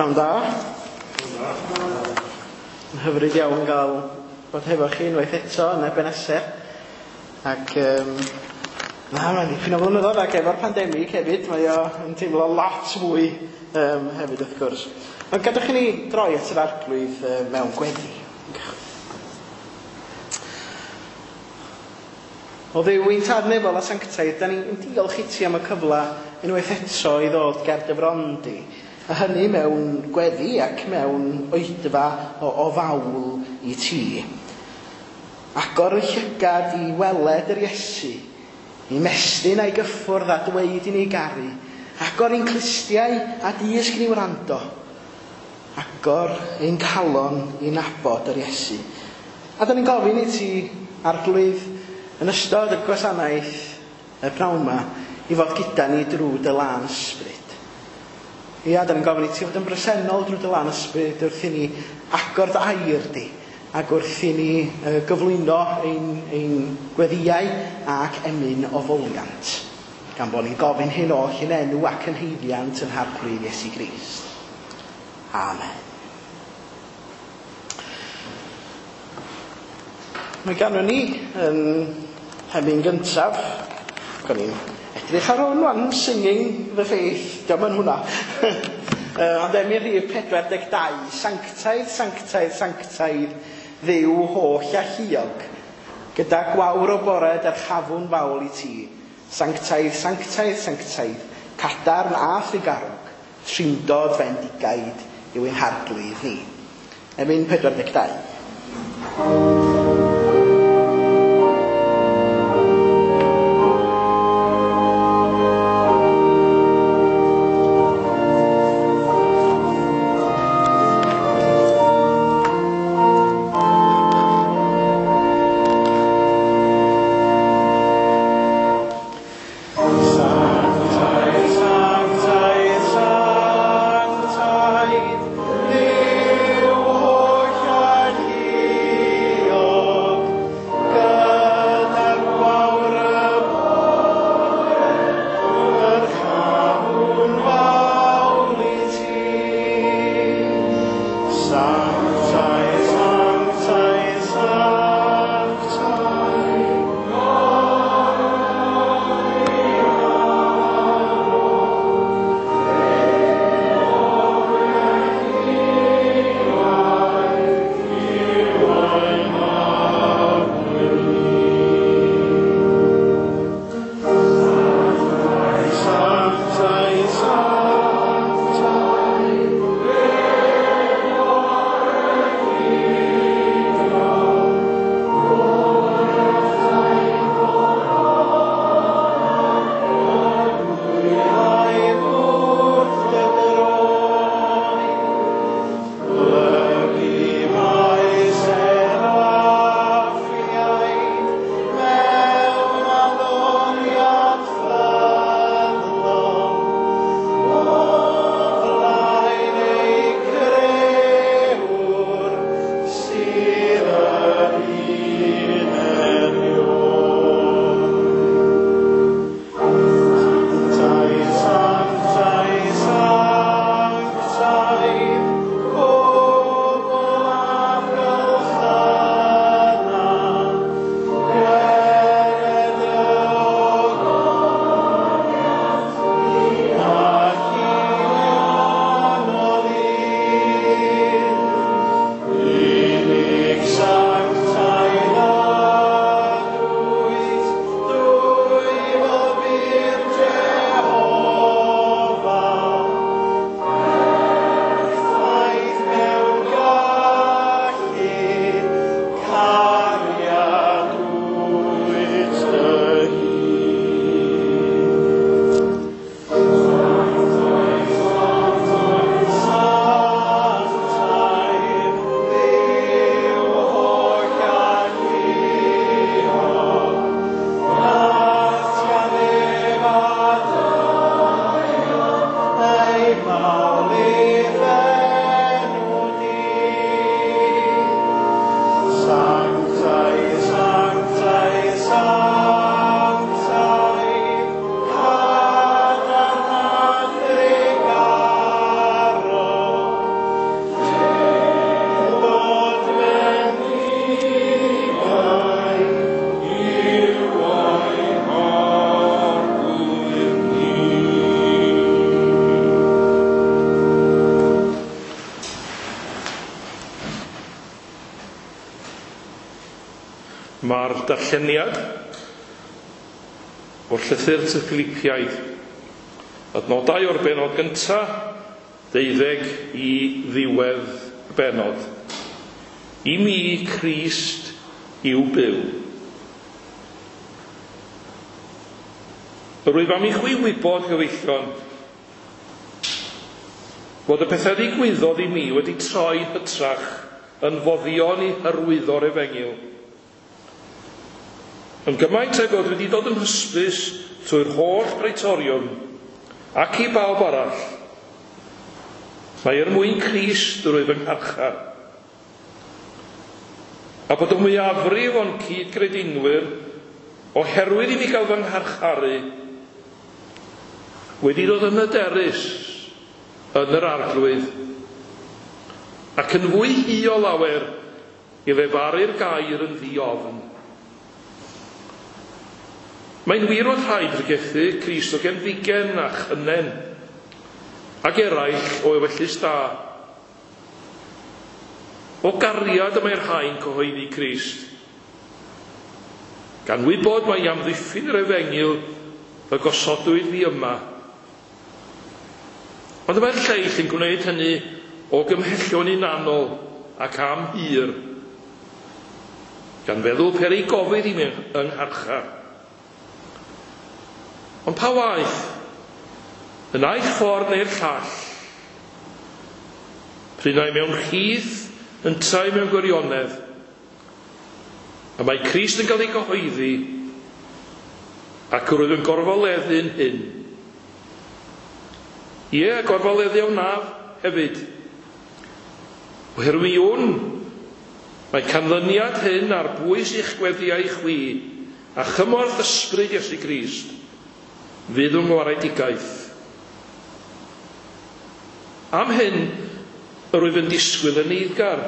Pnawn da. Yn hyfryd iawn gael bod hefo chi unwaith eto yn Ebeneser. Ac na, mae'n dipyn o flynyddoedd ac efo'r pandemig hefyd, mae o yn teimlo lot fwy hefyd wrth gwrs. Ond gadwch i ni droi at yr Arglwydd mewn gweddi. O Dduw ein Tad nefol a sanctaidd, da ni'n diolch i ti am y cyfle unwaith eto i ddod ger dy fron di, a hynny mewn gweddi ac mewn oedfa o fawl i ti. Agor y llygad i weled yr Iesu, i mestyn a'i gyffwrdd a dweud i ni garu. Agor ein clustiau a dysg ni wrando. Agor ein calon i nabod yr Iesu. A da ni'n gofyn i ti, Arglwydd, yn ystod y gwasanaeth y pnawn yma, i fod gyda ni drwy dy lân ysbryd. Ia, da ni'n gofyn i ti fod yn bresennol drwy dy lân ysbryd wrth i ni agor dy air di, ac wrth i ni gyflwyno ein gweddïau ac emyn o foliant, gan bod ni'n gofyn hyn oll yn enw ac yn haeddiant yn Harglwydd Iesu Grist. Amen. Mae ganddon ni yn hemyn gyntaf, gan ni'n edrych ar hwn wan, Singing the Faith, diolch yn hwnna. Ond emyn rhif 42, sanctaidd, sanctaidd, sanctaidd, Dduw holl a lluog, gyda gwawr o bore dyrchafwn fawl i ti, sanctaidd, sanctaidd, sanctaidd, cadarn a thrugarog, trindod fendigaid yw ein Harglwydd ni. Emyn 42. Dyma'r darlleniad o'r llythyr at y Philipiaid. Adnodau o'r bennod gyntaf, 12 i ddiwedd y bennod. I mi, Crist yw byw. Yr wyf am i chwi wybod, gyfeillion, fod y pethau ddigwyddodd i mi wedi troi hytrach yn foddion i hyrwyddo'r efengyl. Yn gymaint ag oedd wedi dod yn hysbys trwy'r holl Praetoriwm ac i bawb arall, mae er mwyn Crist drwy fy ngharchar. A bod y mwyafrif o'n cyd-gredinwyr, oherwydd i mi gael fy ngharcharu, wedi dod yn hyderus yn yr Arglwydd, ac yn fwy hu o lawer i lefaru'r gair yn ddi-ofn. Mae'n wir fod rhai pregethu Crist o genfigen a chynnen, ac eraill o ewyllys da. O gariad y mae'r rhai'n cyhoeddi Crist, gan wybod mai amddiffyn yr efengyl y gosodwyd fi yma. Ond y mae'r lleill yn gwneud hynny o gymhellion hunanol ac am hir, gan feddwl peri gofid i mi yng ngharchar. Ond pa waeth, y naill ffordd neu'r llall, pryd ai mewn rhith, yntau mewn gwirionedd, a mae Crist yn cael ei gyhoeddi, ac yr wyf yn gorfoleddu'n hyn. Ie, gorfoleddu a wnaf hefyd. Oherwydd mi wn, mae canlyniad hyn ar bwys i'ch gweddiau chwi, a chymorth ysbryd Iesu Grist, fydd yng ngwaredigaeth. Am hyn, yr wyf yn disgwyl yn eiddgar,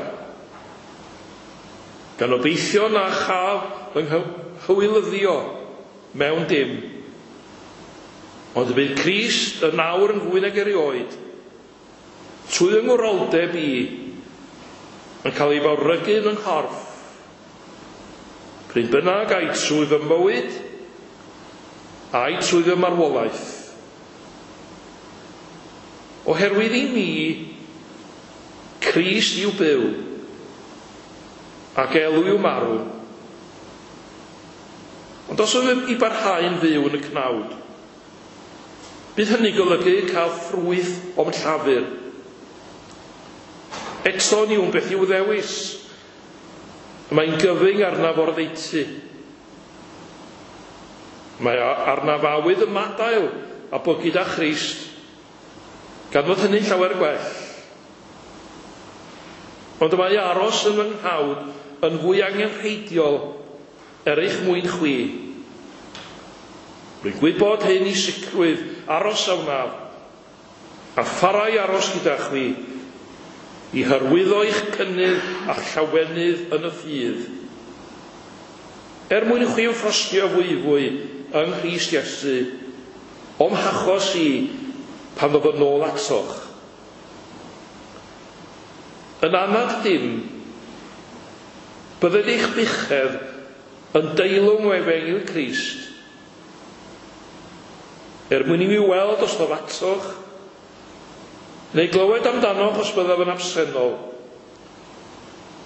gan obeithio na chaf fy nghywilyddio mewn dim. Ond y bydd Crist yn awr yn fwy nag erioed, trwy fy ngwroldeb i, yn cael ei fawrygu yn nghorff. Pryd bynnag ai trwy fy mywyd, ai trwy fy marwolaeth. Oherwydd i mi, Crist yw byw, ac elw yw marw. Ond os ydym i barhau'n fyw yn y cnawd, bydd hynny golygu cael ffrwyth o'm llafur. Eto ni wn beth i'w ddewis. Mae'n gyfyng arnaf o'r ddeutu. Mae arnaf awydd ymadael a bod gyda Christ, gan fod hynny'n llawer gwell. Ond mae aros yn fy nghnawd yn fwy angenrheidiol er eich mwyn chwi. Rwy'n gwybod hyn i sicrwydd aros a wnaf, a pharau aros gyda chwi, i hyrwyddo eich cynnydd a llawenydd yn y ffydd. Er mwyn i chwi ymffrostio fwyfwy yng Nghrist Iesu, o'm hachos i pan ddof yn ôl atoch. Yn anad dim, bydded eich buchedd yn deilwng o efengyl Crist, er mwyn i mi weld os ddof atoch, neu glywed amdanoch os byddaf yn absennol,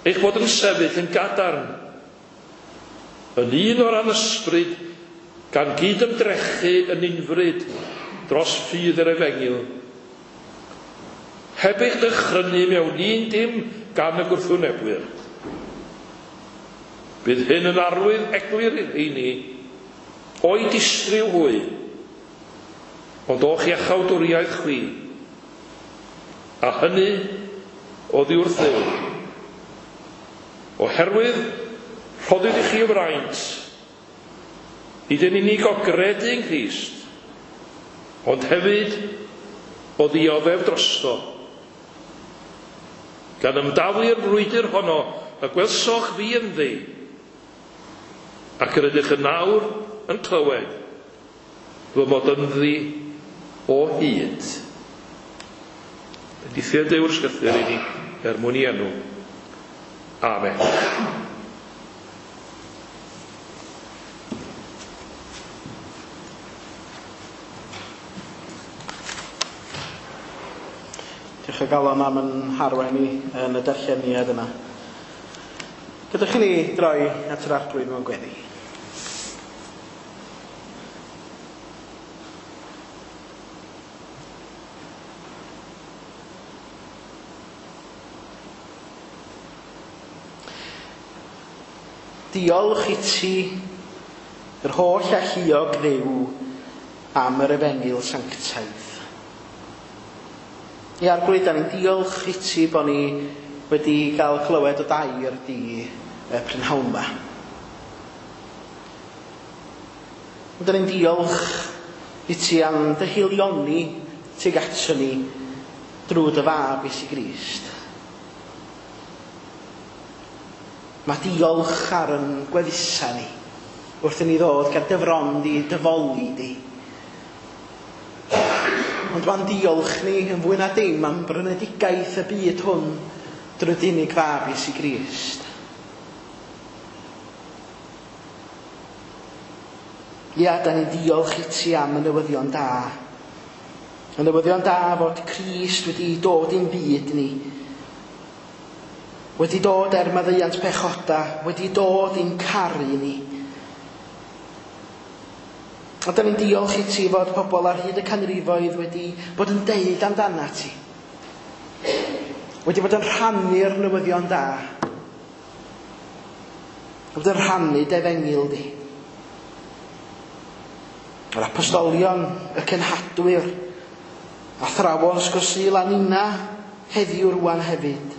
eich bod yn sefyll yn gadarn, yn un o ran ysbryd, gan gyd-ymdrechu yn unfryd dros ffydd yr efengyl, heb eich dychrynu mewn un dim gan y gwrthwynebwyr. Bydd hyn yn arwydd eglur i'r rheini o'i distryw hwy, ond o'ch iachawdwriaeth chwi, a hynny oddi wrth Dduw. Oherwydd rhoddwyd i chi y fraint, nid yn unig o gredu yng Nghrist, ond hefyd o ddioddef drosto. Gan ymdaflu'r frwydr honno y gwelsoch fi ynddi, ac yr ydych yn nawr yn clywed fy mod ynddi o hyd. Bendithio Duw'r ysgythyr i ni er mwyn i enw. Amen. Diolch o galon am yn harwain ni yn y darlleniad yna. Gadewch i ni droi at yr Arglwydd mewn gweddi. Diolch i ti, yr holl alluog Dduw, am yr efengyl sanctaidd. Ia, Arglwydd, da ni'n diolch i ti bod ni wedi cael clywed o dair di y prynhawn yma. Ond da ni'n diolch i ti am dy haelioni tuag ato ni drwy dy fab Iesu Grist. Mae diolch ar yn gwefusau ni wrth i ni ddod ger dy fron di, dy foli di. Ond mae'n diolch ni yn fwy na dim am brynedigaeth y byd hwn drwy dy unig fab Iesu Grist. Ia, da ni'n diolch i ti am y newyddion da. Y newyddion da fod Crist wedi dod i'n byd ni. Wedi dod er maddeuant pechoda, wedi dod i'n caru ni. A da ni'n diolch i ti fod pobl ar hyd y canrifoedd wedi bod yn deud amdana ti. Wedi bod yn rhannu'r newyddion da. Wedi bod yn rhannu dy efengyl di. Yr apostolion, y cenhadwyr, athrawon Ysgol Sul a nina heddiw rwan hefyd,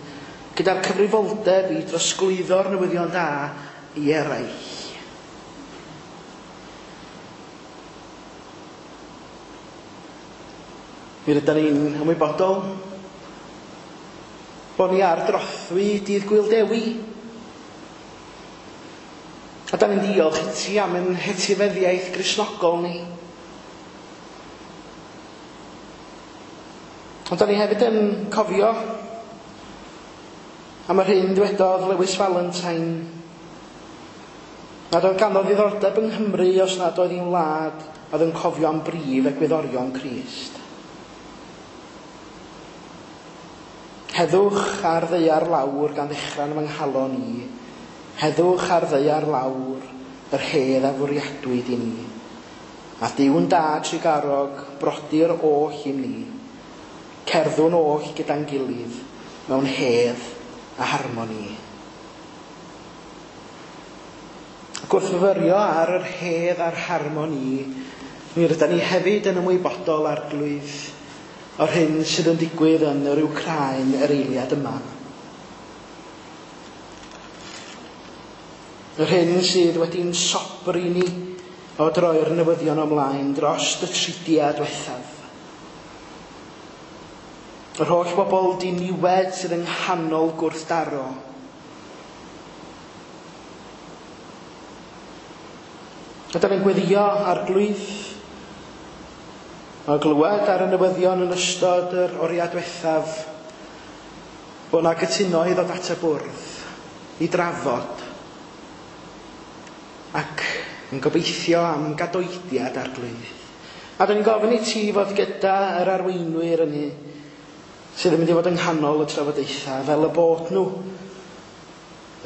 gyda'r cyfrifoldeb i drosglwyddo'r newyddion da i eraill. Mi rydan ni'n ymwybodol bod ni ar drothwy dydd Gŵyl Dewi. A da ni'n diolch i ti am ein hetifeddiaeth Gristnogol ni. Ond da ni hefyd yn cofio am yr hyn dwedodd Lewis Valentine, nad oedd ganddo ddiddordeb yng Nghymru os nad oedd hi'n wlad oedd yn cofio am brif egwyddorion Crist. Heddwch ar ddaear lawr gan ddechrau yn fy nghalon i. Heddwch ar ddaear lawr, yr hedd a fwriadwyd i ni. A Duw'n dad trugarog, brodyr oll i ni. Cerddwn oll gyda'n gilydd, mewn hedd a harmoni. Ac wrth fyfyrio ar yr hedd a'r harmoni, mi rydan ni hefyd yn ymwybodol, Arglwydd, o'r hyn sydd yn digwydd yn yr Wcráin yr eiliad yma. Yr hyn sydd wedi'n sobri ni o droi'r newyddion ymlaen dros y tridiau diwethaf. Yr holl bobl diniwed sydd yng nghanol gwrthdaro. A da ni'n gweddio, Arglwydd, o glywed ar y newyddion yn ystod yr oriau diwethaf bod 'na gytuno i ddod at y bwrdd i drafod ac yn gobeithio am gadoediad, Arglwydd. A da ni'n gofyn i ti fod gyda yr arweinwyr ynny sydd yn mynd i fod yng nghanol y trafodaethau, fel y bod nhw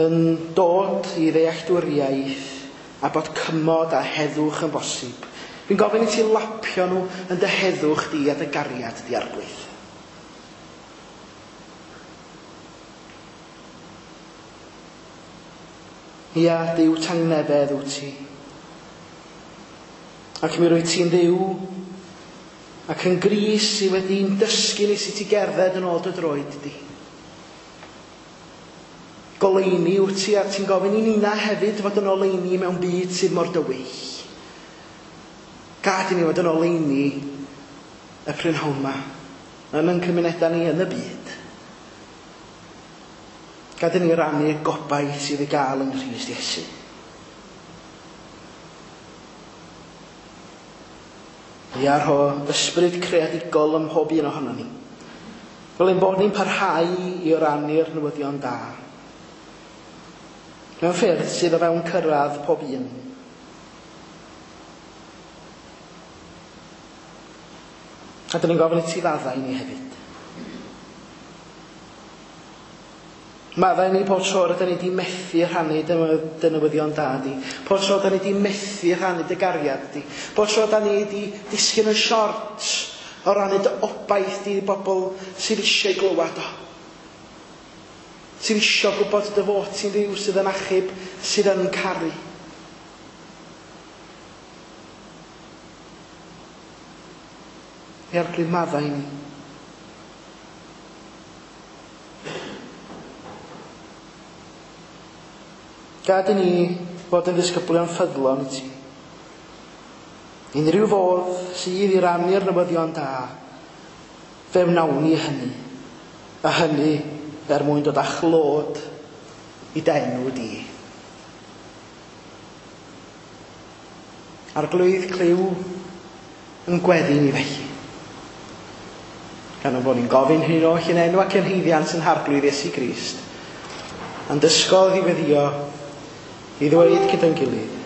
yn dod i ddealltwriaeth a bod cymod a heddwch yn bosib. Fi'n gofyn i ti lapio nhw yn dy heddwch di a dy gariad di, Arglwydd. Ia, Duw tangnefedd wyt ti. Ac mi rwyt ti'n Dduw ac yn Grist sydd wedi'n dysgu ni sut i gerdded yn ôl dy droed di. Goleuni wyt ti, a ti'n gofyn i nina hefyd fod yn oleuni mewn byd sydd mor dywyll. Gad i ni fod yn oleuni y prynhawn yma, yn ein cymunedau ni yn y byd. Gad i ni rannu gobaith sydd i gael yng Nghrist Iesu. Ia, rho ysbryd creadigol ym mhob un ohonon ni, fel ein bod ni'n parhau i rannu'r newyddion da mewn ffyrdd sydd o fewn cyrraedd pob un. A dyn ni'n gofyn i ti faddau i ni hefyd. Maddau ni pob tro rydyn ni wedi methu rhannu dy newyddion da di. Pob tro rydyn ni wedi methu rhannu dy gariad di. Pob tro rydyn ni wedi disgyn yn siort o rannu dy obaith di i bobl sydd eisiau glywed o. Sydd eisiau gwybod dy fod ti'n Dduw sydd yn achub, sydd yn caru. I Arglwydd, maddau ni. Gad i ni fod yn ddisgyblion ffyddlon i ti. Unrhyw fodd sydd i rannu'r newyddion da, fe wnawn ni hynny, a hynny er mwyn dod â chlod i d'enw di. Arglwydd, clyw yn gweddi ni felly. Gan ein bod ni'n gofyn hyn oll yn enw ac yn haeddiant yn Harglwydd Iesu Grist, a'n dysgodd i weddïo i ddweud gyda'n gilydd.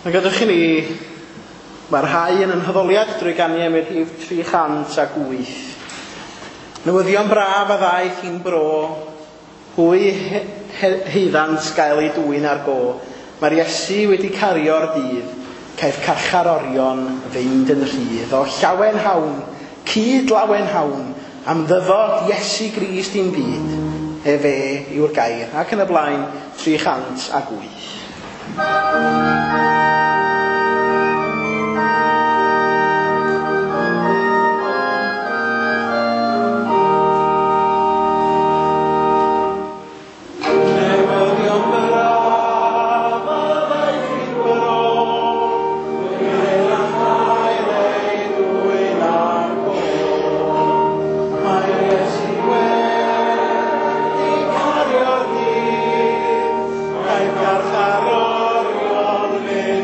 Mae gadwch i ni barhau yn haddoliad drwy ganu am y rhif 308. Newyddion braf a ddaeth i'n bro, hwy heiddant gael ei dwyn ar go. Mae'r Iesu wedi cario'r dydd, caiff carcharorion fynd yn rhydd. O llawen hawn, cyd lawen hawn, am ddyfod Iesu Grist i'n byd, efe yw'r gair. Ac yn y blaen, 308. Carcharorion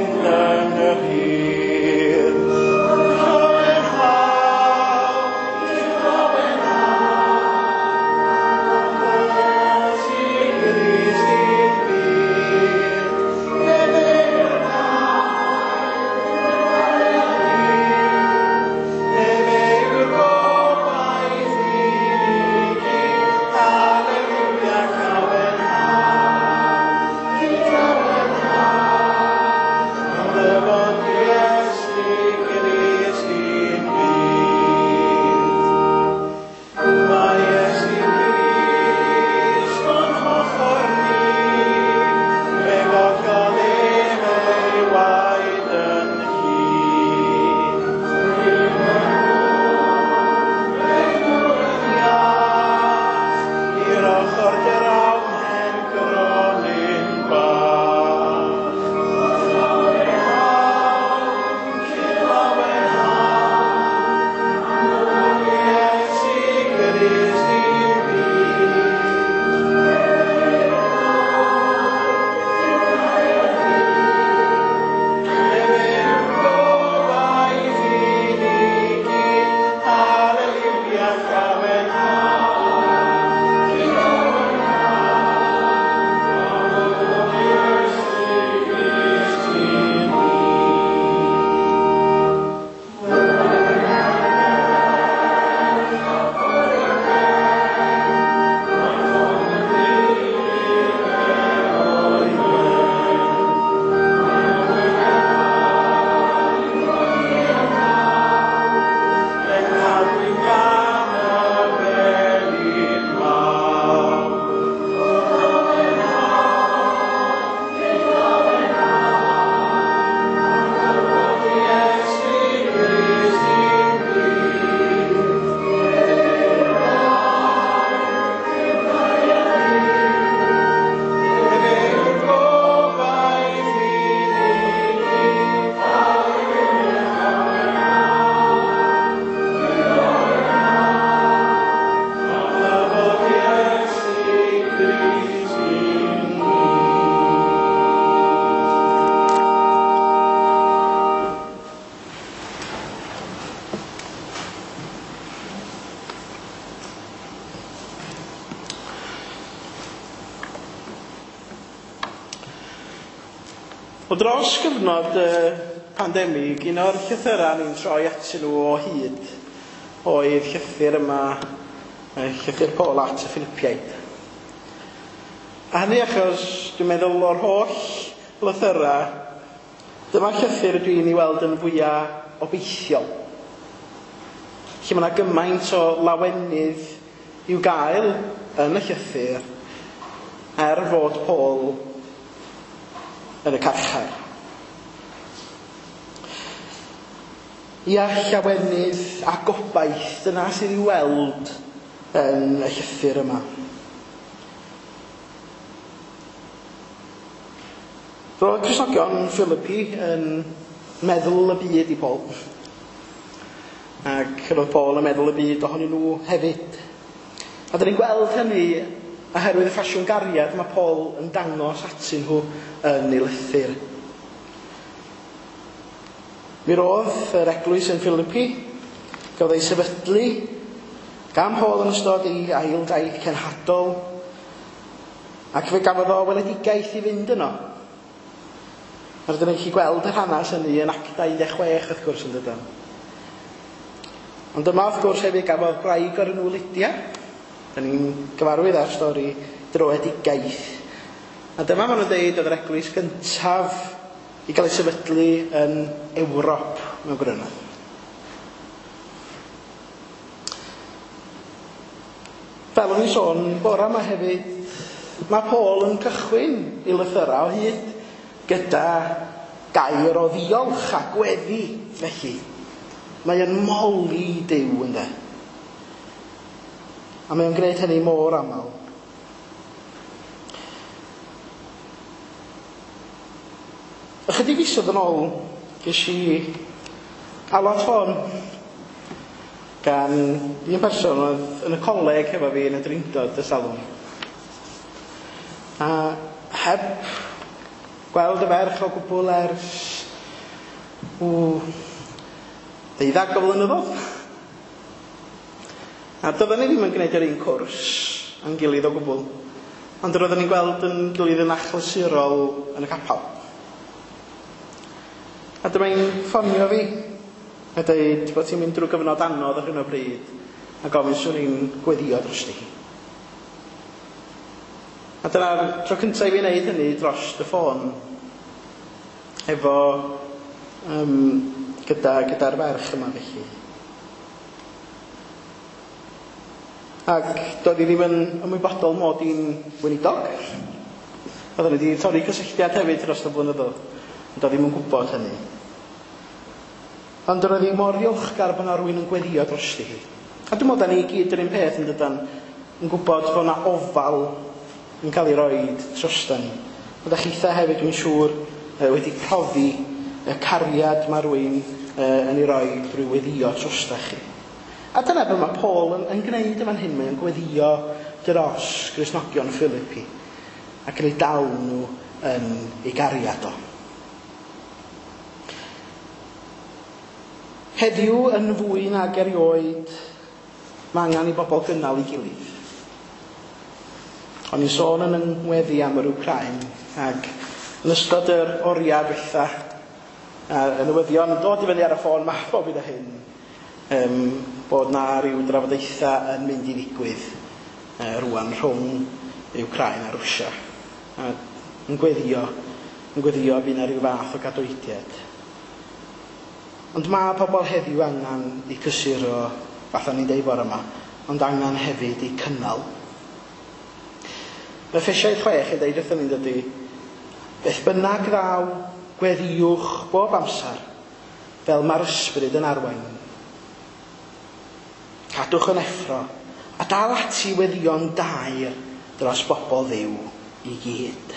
Wel, dros gyfnod y pandemig, un o'r llythyrau ni'n troi atyn nhw o hyd oedd llythyr yma, llythyr Paul at y Philipiaid. A hynny achos dwi'n meddwl o'r holl lythyrau, dyma'r llythyr dwi'n ei weld yn fwyaf obeithiol. Lle mae yna gymaint o lawenydd i'w gael yn y llythyr, er fod Paul yn y carchar. Ia, llawenydd a gobaith, dyna sydd i'w weld yn y llythyr yma. Roedd Cristnogion Philippi yn meddwl y byd i Paul. Ac roedd Paul yn meddwl y byd ohonyn nhw hefyd. A dyn ni'n gweld hynny oherwydd y ffasiwn gariad mae Paul yn dangos atyn nhw yn ei lythyr. Mi roedd yr eglwys yn Philippi, gafodd ei sefydlu gan Paul yn ystod ei ail daith cenhadol, ac fe gafodd o weledigaeth i fynd yno. A rydyn ni'n gallu gweld yr hanes hynny yn Actau 16 wrth gwrs yn dydyn. Ond yma wrth gwrs hefyd gafodd gwraig o'r enw Lydia. Da ni'n gyfarwydd â'r stori droedigaeth. A dyma maen nhw'n deud oedd yr eglwys gyntaf i gael ei sefydlu yn Ewrop mewn gwirionedd. Fel o'n i'n sôn bore yma hefyd, mae Paul yn cychwyn ei lythyrau o hyd gyda gair o ddiolch a gweddi felly. Mae yn moli Duw ynde. A mae o'n gwneud hynny mor aml. Ychydig fisoedd yn ôl, ges i alwad ffôn gan un person oedd yn y coleg hefo fi yn y Drindod y salwn. A heb gweld y ferch o gwbl ers 12 o flynyddoedd. A doedden ni ddim yn gwneud yr un cwrs a'n gilydd o gwbl, ond roedden ni'n gweld yn gilydd yn achlysurol yn y capel. A dyma hi'n ffonio fi a dweud bod ti'n mynd drwy gyfnod anodd ar hyn o bryd a gofyn swn i'n gweddio drosti hi. A dyna'r tro cyntaf i fi wneud hynny dros y ffôn efo gyda'r ferch yma felly. Ac doedd hi ddim yn ymwybodol mod i'n weinidog. Oedden ni wedi torri cysylltiad hefyd dros y blynyddoedd, ond doedd ddim yn gwybod hynny. Ond roedd hi mor ddiolchgar bod yna rywun yn gweddio drosti hi. A dwi'n meddwl da ni i gyd yr un peth yn dydan, yn gwybod bod yna ofal yn cael ei roed drosta ni. Ond a chitha hefyd, dwi'n siŵr, wedi profi y cariad mae rhywun yn ei roi drwy weddio drosta chi. A dyna beth mae Paul yn gwneud yn fan hyn, mae'n gweddio dros Gristnogion Philippi ac yn ei dal nhw yn ei gariad o. Heddiw yn fwy nag erioed, mae angen i bobl gynnal ei gilydd. O'n i'n sôn yn yng ngweddi am yr Wcráin, ac yn ystod yr oriau dwytha, y newyddion yn dod i fyny ar y ffôn, mae bob un o hyn, bod na ryw drafodaethau yn mynd i ddigwydd rwan rhwng Wcráin a Rwsia. A yn gweddio fydd na ryw fath o gadoediad. Ond mae pobl heddiw angen eu cysuro, fatha ni'n deud bore yma, ond angen hefyd eu cynnal. Mae Effesiaid 6 yn deud wrthon ni'n dydy, beth bynnag ddaw, gweddiwch bob amser, fel mae'r ysbryd yn arwain. Cadwch yn effro, a dal ati weddïo'n daer dros bobl Dduw i gyd.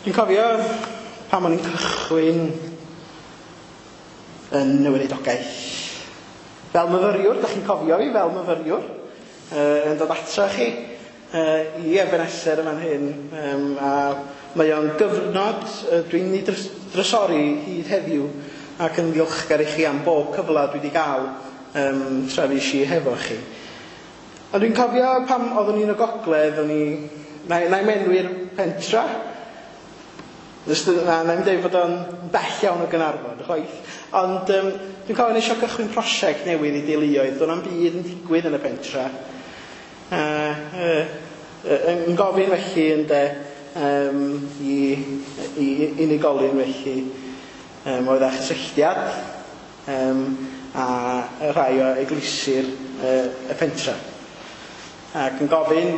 Dwi'n cofio pan o'n i'n cychwyn yn y weinidogaeth. Fel myfyriwr, da chi'n cofio fi fel myfyriwr, yn dod ato chi i Ebenezer yn fan hyn, a mae o'n gyfnod dwi'n ei drysori hyd heddiw ac yn ddiolchgar i chi am bob cyfle dwi wedi gael tra fues i hefo chi. Ond dwi'n cofio pan oeddwn i'n y gogledd, o'n i Na i menwi'r pentra. Na, na i'n dweud bod o'n bell iawn o Gaernarfon, chwaith. Ond dwi'n cofio nes i gychwyn prosiect newydd i deuluoedd. Do'n na'm byd yn digwydd yn y pentra. Yn gofyn felly ynde i unigolyn felly oedd â chysylltiad a rhai o eglwysi'r y pentra. Ac yn gofyn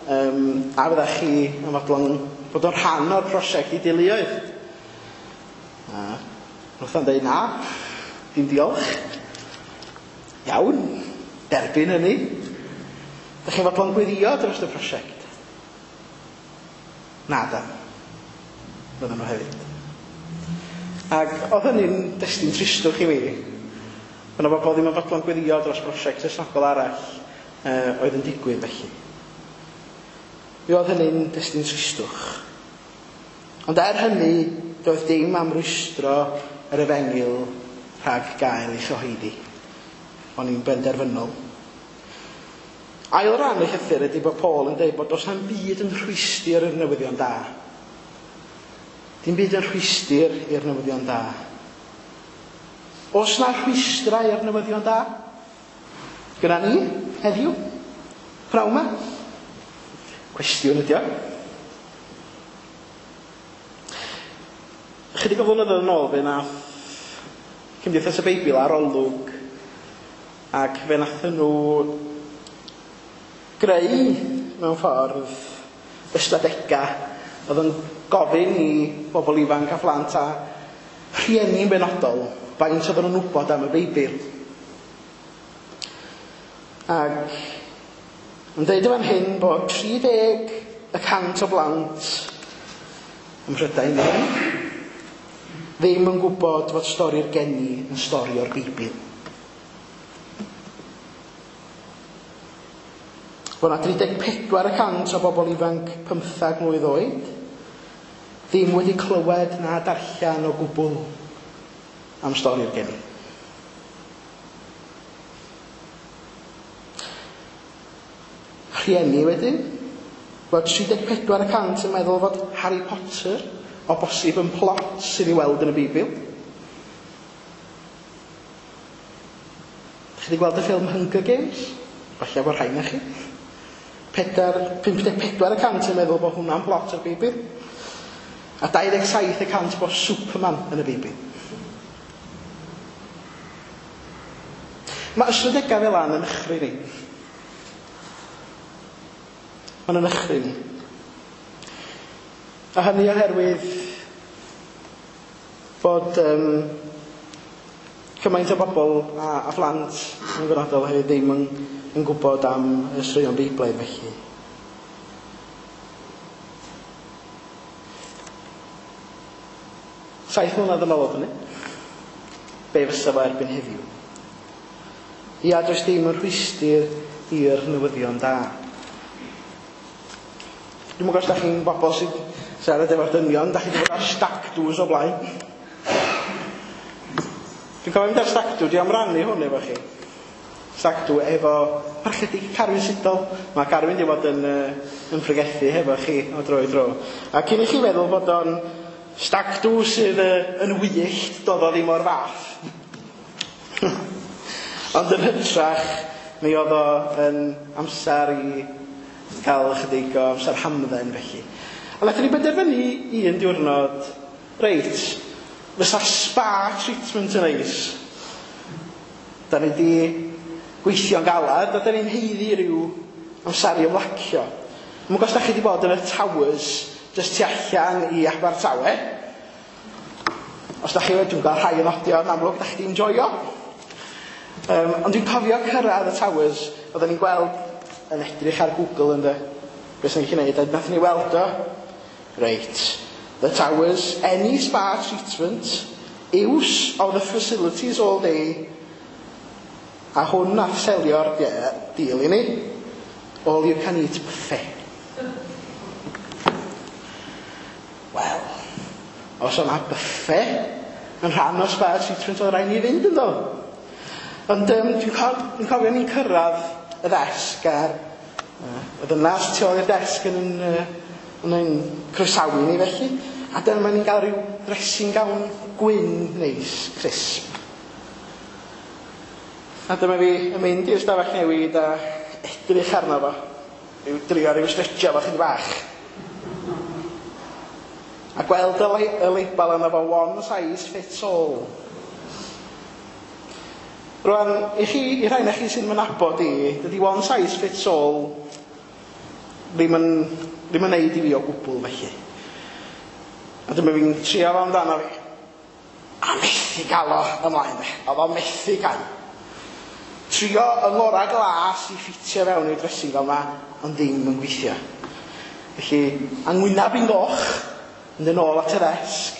a fyddech chi yn fodlon bod o'n rhan o'r prosiect i deuluoedd. A wnaeth o'n dweud na, dim diolch. Iawn, derbyn hynny. Dych chi'n fodlon gweddio dros y prosiect? Na da. Fydden nhw hefyd. Ac oedd hynny'n destun tristwch i fi. Bod yna bobl ddim yn fodlon gweddio dros brosiect Cristnogol arall oedd yn digwydd felly. Mi oedd hynny'n destun tristwch. Ond er hynny, doedd dim am rwystro yr efengyl rhag gael ei chyhoeddi. O'n i'n benderfynol. Ail ran y llythyr ydy bod Paul yn dweud bod does na'm byd yn rhwystr i'r newyddion da. Dim byd yn rhwystr i'r newyddion da. Oes na rhwystrau i'r newyddion da? Gyda ni, heddiw, pnawn 'ma? Cwestiwn ydi o. Chydig o flynyddoedd yn ôl fe nath Cymdeithas y Beibl arolwg ac fe nathon nhw greu mewn ffordd ystadegau oedd yn gofyn i bobl ifanc a phlant a rhieni'n benodol faint oedden nhw'n wybod am y Beibl. Ac yn dweud yn fan hyn bod 30% o blant ym Mhrydain ddim yn gwybod fod stori'r geni yn stori o'r Beibl. Bod yna 34% o bobl ifanc 15 mlwydd oed ddim wedi clywed na darllen o gwbl am stori'r geni. Rhieni wedyn, bod 34% yn meddwl fod Harry Potter o bosib yn plot sydd i weld yn y Beibl. Chi wedi gweld y ffilm Hunger Games? Falle bod rhai na chi. 54% yn meddwl bod hwnna'n plot o'r Beibl. A 27% bod Superman yn y Beibl. Mae ystadegau fel yna yn nychryn ni. Mae'n yn nychryn ni. A hynny oherwydd bod cymaint o bobl a phlant yn benodol hefyd ddim yn gwybod am y straeon Beiblaidd felly. 7 mlynedd yn ôl oedd hynny. Be fysa fo erbyn heddiw? Ia, does dim yn rhwystr i'r newyddion da. Dwi'm yn gwybod os da chi'n bobl sy'n siarad efo'r dynion, da chi wedi bod ar stag do's o blaen. Dwi'n cofio mynd ar stag do, dwi am rannu hwn efo chi. Stag do efo Parchedig Carwyn Sidol. Mae Carwyn wedi bod yn pregethu hefo chi o dro i dro. A cyn i chi feddwl bod o'n stag do sydd yn wyllt, doedd o ddim o'r fath. Ond yn hytrach, mi oedd o yn amser i gael ychydig o amser hamdden felly. A wnaethon ni benderfynu un diwrnod, reit, fysa spa treatment yn neis. Da ni di gweithio'n galad, a da ni'n haeddu rhyw amser i ymlacio. Dwi'm yn gwybod os da chi wedi bod yn y Towers, jyst tu allan i Abertawe. Os da chi wedi, dwi'n gweld rhai yn nodio, yn amlwg, da chi wedi enjoyo. Ond dwi'n cofio cyrraedd y Towers, oedden ni'n gweld yn edrych ar Google ynddo, beth sy'n gallu gwneud, a nathon ni weld o. Reit, the Towers, any spa treatment, use of the facilities all day, a hwn nath selio'r deal i ni, all you can eat buffet. Wel, os o'na buffet yn rhan o spa treatment, oedd rhaid ni fynd ynddo. Ond dwi'n cofio ni'n cyrraedd y ddesg a'r Y ddynas tu ôl i'r desg yn croesawu ni felly. A dyma ni'n cael rhyw dressing gown gwyn neis, crisp. A dyma fi yn mynd i'r stafell newid a edrych arno fo. Rhyw drio rhyw stretcho fo chydig bach. A gweld y label arno fo, "One size fits all". Rwan, i chi, i rhai na chi sy'n fy nabod i, dydy "one size fits all" ddim yn neud i fi o gwbl felly. A dyma fi'n trio fo amdano fi. A methu gael o ymlaen de. Oedd o methu gael. Trio yng ngorau glas i ffitio fewn i'r dressing gown yma, ond ddim yn gweithio. Felly, a ngwynab i'n goch, mynd yn ôl at y ddesg.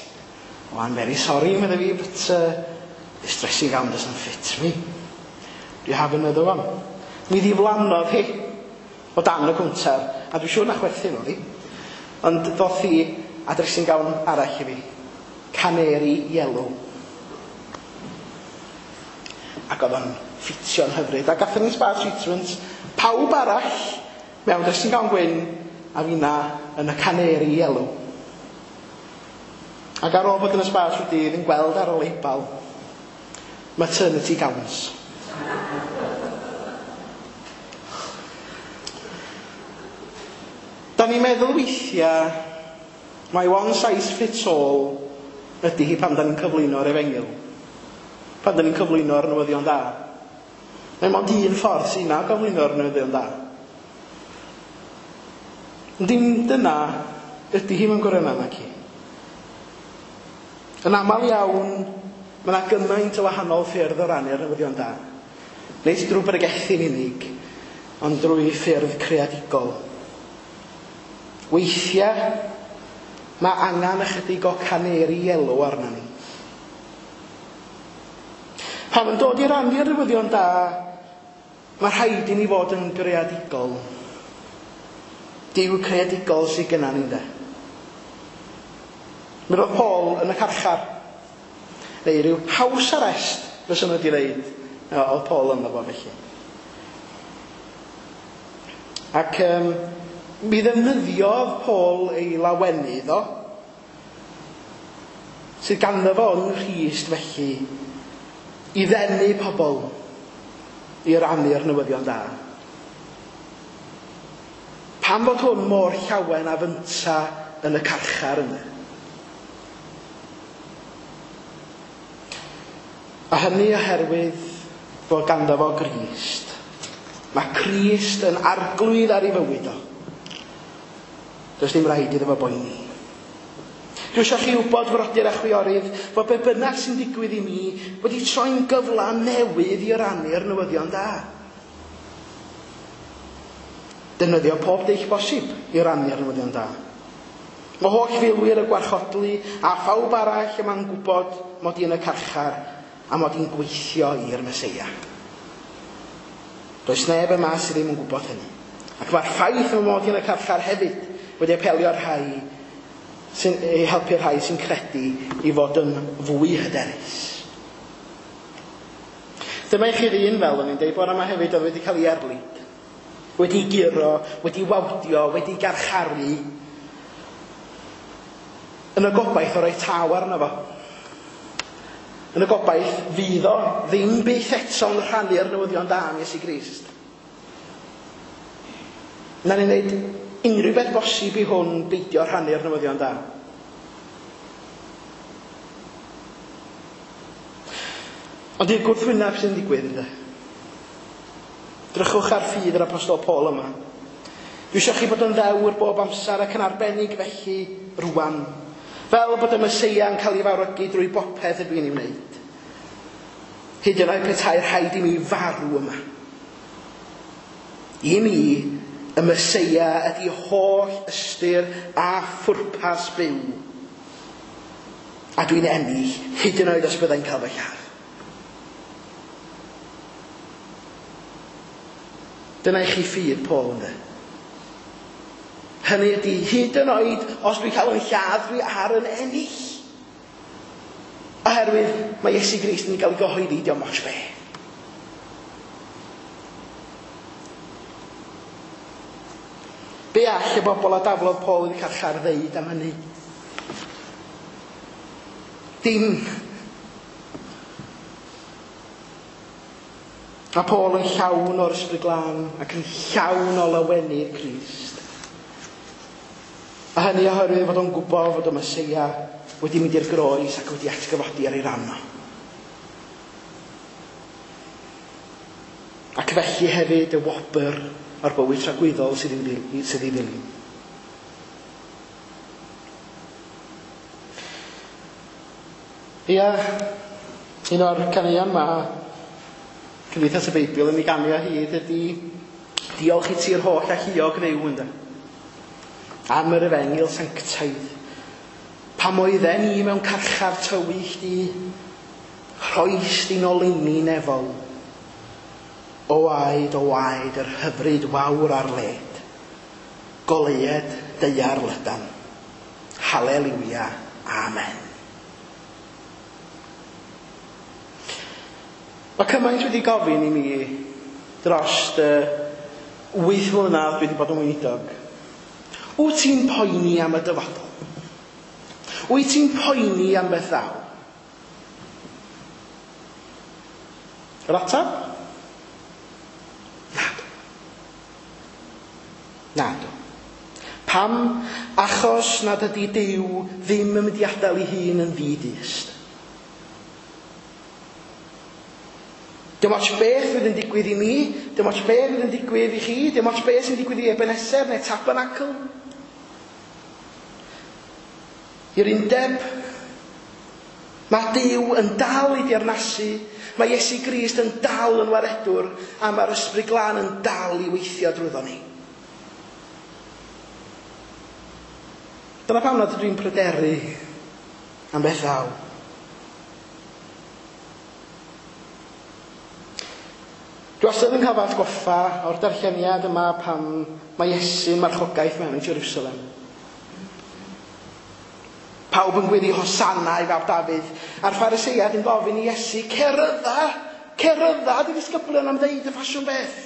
"Oh, I'm very sorry," medde fi, "but this dressing gown doesn't fit me. Do you have another one?" Mi ddiflannodd hi o dan y cwnter, a dwi'n siŵr na chwerthin oedd hi. Ond ddoth hi a dressing gown arall i fi. Canary yellow. Ac oedd o'n ffitio'n hyfryd. A gathon ni spa treatment, pawb arall mewn dressing gown gwyn a finna yn y canary yellow. Ac ar ôl bod yn y spa trwy dydd yn gweld ar y label "maternity gowns". Da ni'n meddwl weithiau mai one size fits all ydy hi pan da ni'n cyflwyno'r efengyl. Pan da ni'n cyflwyno'r newyddion da. Mae mond un ffordd sy'n na gyflwyno'r newyddion da. Dim dyna ydy hi mewn gwirionedd naci. Yn aml iawn, mae yna gymaint o wahanol ffyrdd o rannu'r newyddion da. Nid drwy bregethu'n unig, ond drwy ffyrdd creadigol. Weithiau, mae angen ychydig o canary yellow arna ni. Pan yn dod i rannu'r newyddion da, mae rhaid i ni fod yn greadigol. Duw creadigol sydd gyda ni, de. Mi roedd Paul yn y carchar. Neu rhyw house arrest, fysa nhw wedi dweud. Oedd Paul ynddo fo felly. Ac mi ddefnyddiodd Paul ei lawenydd o, sydd ganddo fo yng Nghrist felly, i ddenu pobl i rannu'r newyddion da. Pam fod hwn mor llawen a fynta yn y carchar yna? A hynny oherwydd fod ganddo fo Grist. Mae Crist yn arglwydd ar ei fywyd o. Does dim rhaid iddo fo boeni. Dwi eisiau chi wybod, frodyr a chwiorydd, fod be bynnag sy'n digwydd i mi wedi troi'n gyfle newydd i rannu'r newyddion da. Defnyddio pob dull bosib i rannu'r newyddion da. Mae holl filwyr y gwarchodlu a phawb arall yma'n gwybod mod i yn y carchar a mod i'n gweithio i'r Meseia. Does neb yma sydd ddim yn gwybod hynny. Ac mae'r ffaith fy mod i yn y carchar hefyd wedi apelio'r rhai sy'n ei helpu'r rhai sy'n credu i fod yn fwy hyderus. Dyma i chi ddyn, fel o'n i'n deud bore yma hefyd, oedd wedi cael ei erlid, wedi guro, wedi wawdio, wedi garcharu, yn y gobaith o roi taw arno fo. Yn y gobaith fydd o ddim byth eto'n rhannu'r newyddion da am Iesu Grist. Na ni'n neud unrhyw beth bosib i hwn beidio rhannu'r newyddion da. Ond i'r gwrthwyneb sy'n digwydd, ynddo. Drychwch ar ffydd yr apostol Paul yma. Dwi eisiau chi bod yn ddewr bob amser ac yn arbennig felly rwan. Fel bod y Meseia yn cael ei fawrygu drwy bopeth ydw i'n ei wneud. Hyd yn oed petai rhaid i mi farw yma. I mi, y Meseia ydy holl ystyr a phwrpas byw. A dwi'n ennill, hyd yn oed os byddai'n cael fy lladd. Dyna i chi ffydd Paul, ynddo. Hynny ydy, hyd yn oed os dwi'n cael yn lladd, dwi ar yn ennill. Oherwydd mae Iesu Grist yn cael ei gyhoeddi, dio'm ots be. Be all y bobl a daflodd Paul i'r carchar ddeud am hynny? Dim. A Paul yn llawn o'r Ysbryd Glân ac yn llawn o lawenydd Crist. A hynny oherwydd fod o'n gwybod fod y Meseia wedi mynd i'r groes ac wedi atgyfodi ar ei ran o. Ac felly hefyd y wobr o'r bywyd tragwyddol sydd i ddilyn. Ia, un o'r caneuon ma Cymdeithas y Beibl yn ei ganu o hyd ydy diolch i ti'r holl alluog Dduw, ynde? Am yr efengyl sanctaidd. Pam oedden ni mewn carchar tywyll di, rhoes di'n oleuni nefol. O waed, o waed, yr hyfryd wawr ar led. Goleued daear lydan. Haleliwia, amen. Mae cymaint wedi gofyn i mi dros y 8 mlynedd dwi wedi bod yn weinidog. Wyt ti'n poeni am y dyfodol? Wyt ti'n poeni am beth ddaw? Yr ateb? Nadw. Nadw. Pam? Achos nad ydy Duw ddim yn mynd i adael ei hun yn ddi-dyst. Dim ots beth fydd yn digwydd i mi, dim ots beth fydd yn digwydd i chi, dim ots beth sy'n digwydd i Ebenezer neu Tabernacl. I'r undeb, mae Duw yn dal i deyrnasu, mae Iesu Grist yn dal yn waredwr, a mae'r Ysbryd Glân yn dal i weithio drwyddo ni. Dyna pam nad ydw i'n pryderu am beth ddaw. Dwi wastad yn cael fy atgoffa o'r darlleniad yma pan mae Iesu'n marchogaeth mewn i Jerusalem. Pawb yn gweddi Hosanna i fab Dafydd, a'r Phariseiad yn gofyn i Iesu, cerydda dy ddisgyblion am ddeud y ffasiwn beth.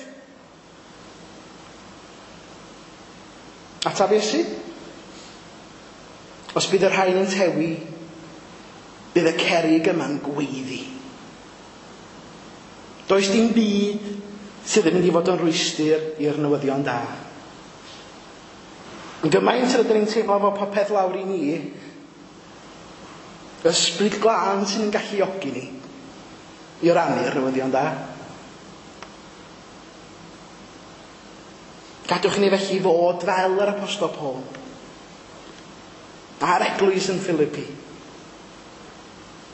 Ateb Iesu? Os bydd y rhain yn tewi, bydd y cerrig yma'n gweiddi. Does dim byd sydd yn mynd i fod yn rwystr i'r newyddion da. Yn gymaint rydyn ni'n teimlo fod popeth lawr i ni, Ysbryd Glân sy'n yn galluogi ni i rannu'r newyddion da. Gadwch i ni felly fod fel yr Apostol Paul a'r eglwys yn Philippi.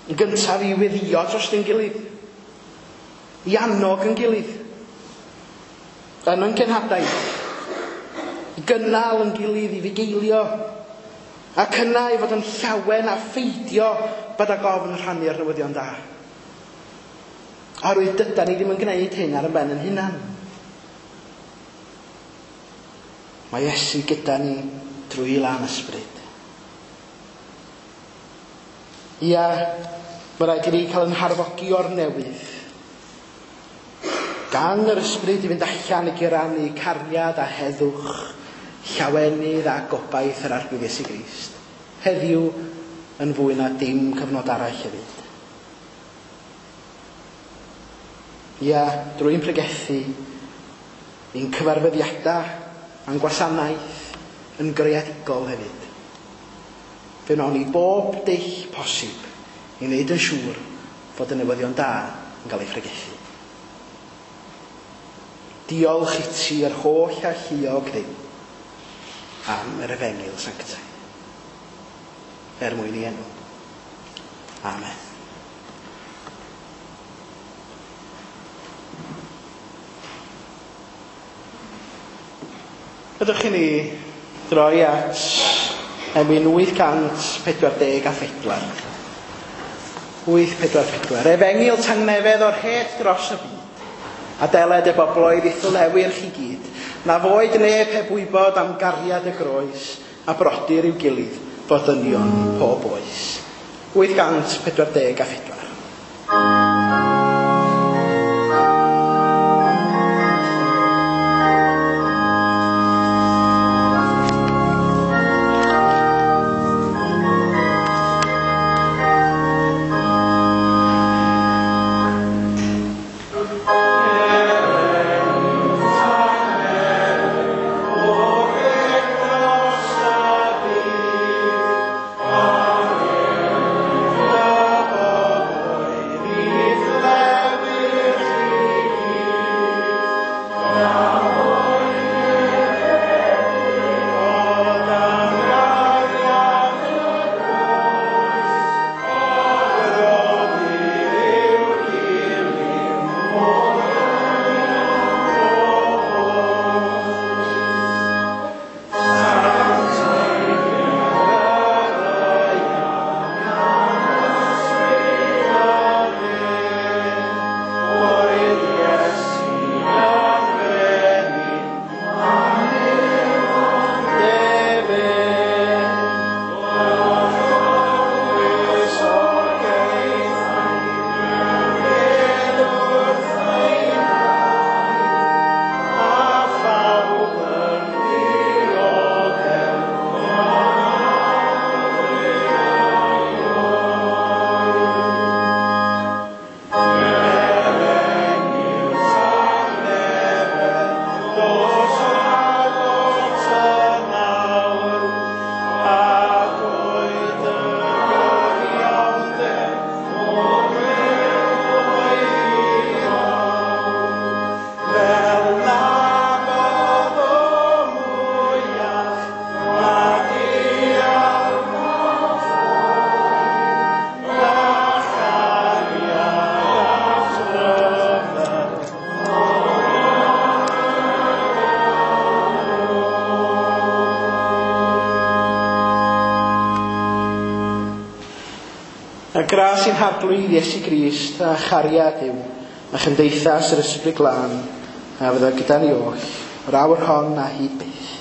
Yn gyntaf i weddïo dros ein gilydd, i annog yn gilydd, yn ein cenhadaeth, i gynnal yn gilydd, i fugeilio, ac yna i fod yn llawen a pheidio bod ag ofn rhannu'r newyddion da. Oherwydd dydan ni ddim yn gwneud hyn ar ein ben yn hunan. Mae Iesu gyda ni drwy lan ysbryd. Ia, mae rhaid i ni cael yn harfogi o'r newydd. Gan yr ysbryd i fynd allan i gyrannu cariad a heddwch, llawenydd a gobaith yr Arglwydd Iesu Grist. Heddiw yn fwy na dim cyfnod arall hefyd. Ia, drwy'n pregethu, ein cyfarfyddiadau a'n gwasanaeth yn greadigol hefyd. Fe wnawn ni bob dull posib i wneud yn siŵr fod y newyddion da yn cael ei phregethu. Diolch i ti yr holl alluog Dduw am yr efengyl sanctaidd. Er mwyn i enw. Amen. Ydych chi ni droi at emyn 844. 844. Efengyl tangnefedd o'r het dros y byd. A deled y bobloedd i'th lewyrch i gyd. Na foed neb heb wybod am gariad y groes a brodyr i'w gilydd fod dynion pob oes. 844. A gras i'n harglwydd Iesu Grist a chariad yw a chymdeithas yr Ysbryd Glân a fydda gyda ni oll, yr awr hon a hyd byth.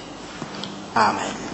Amen.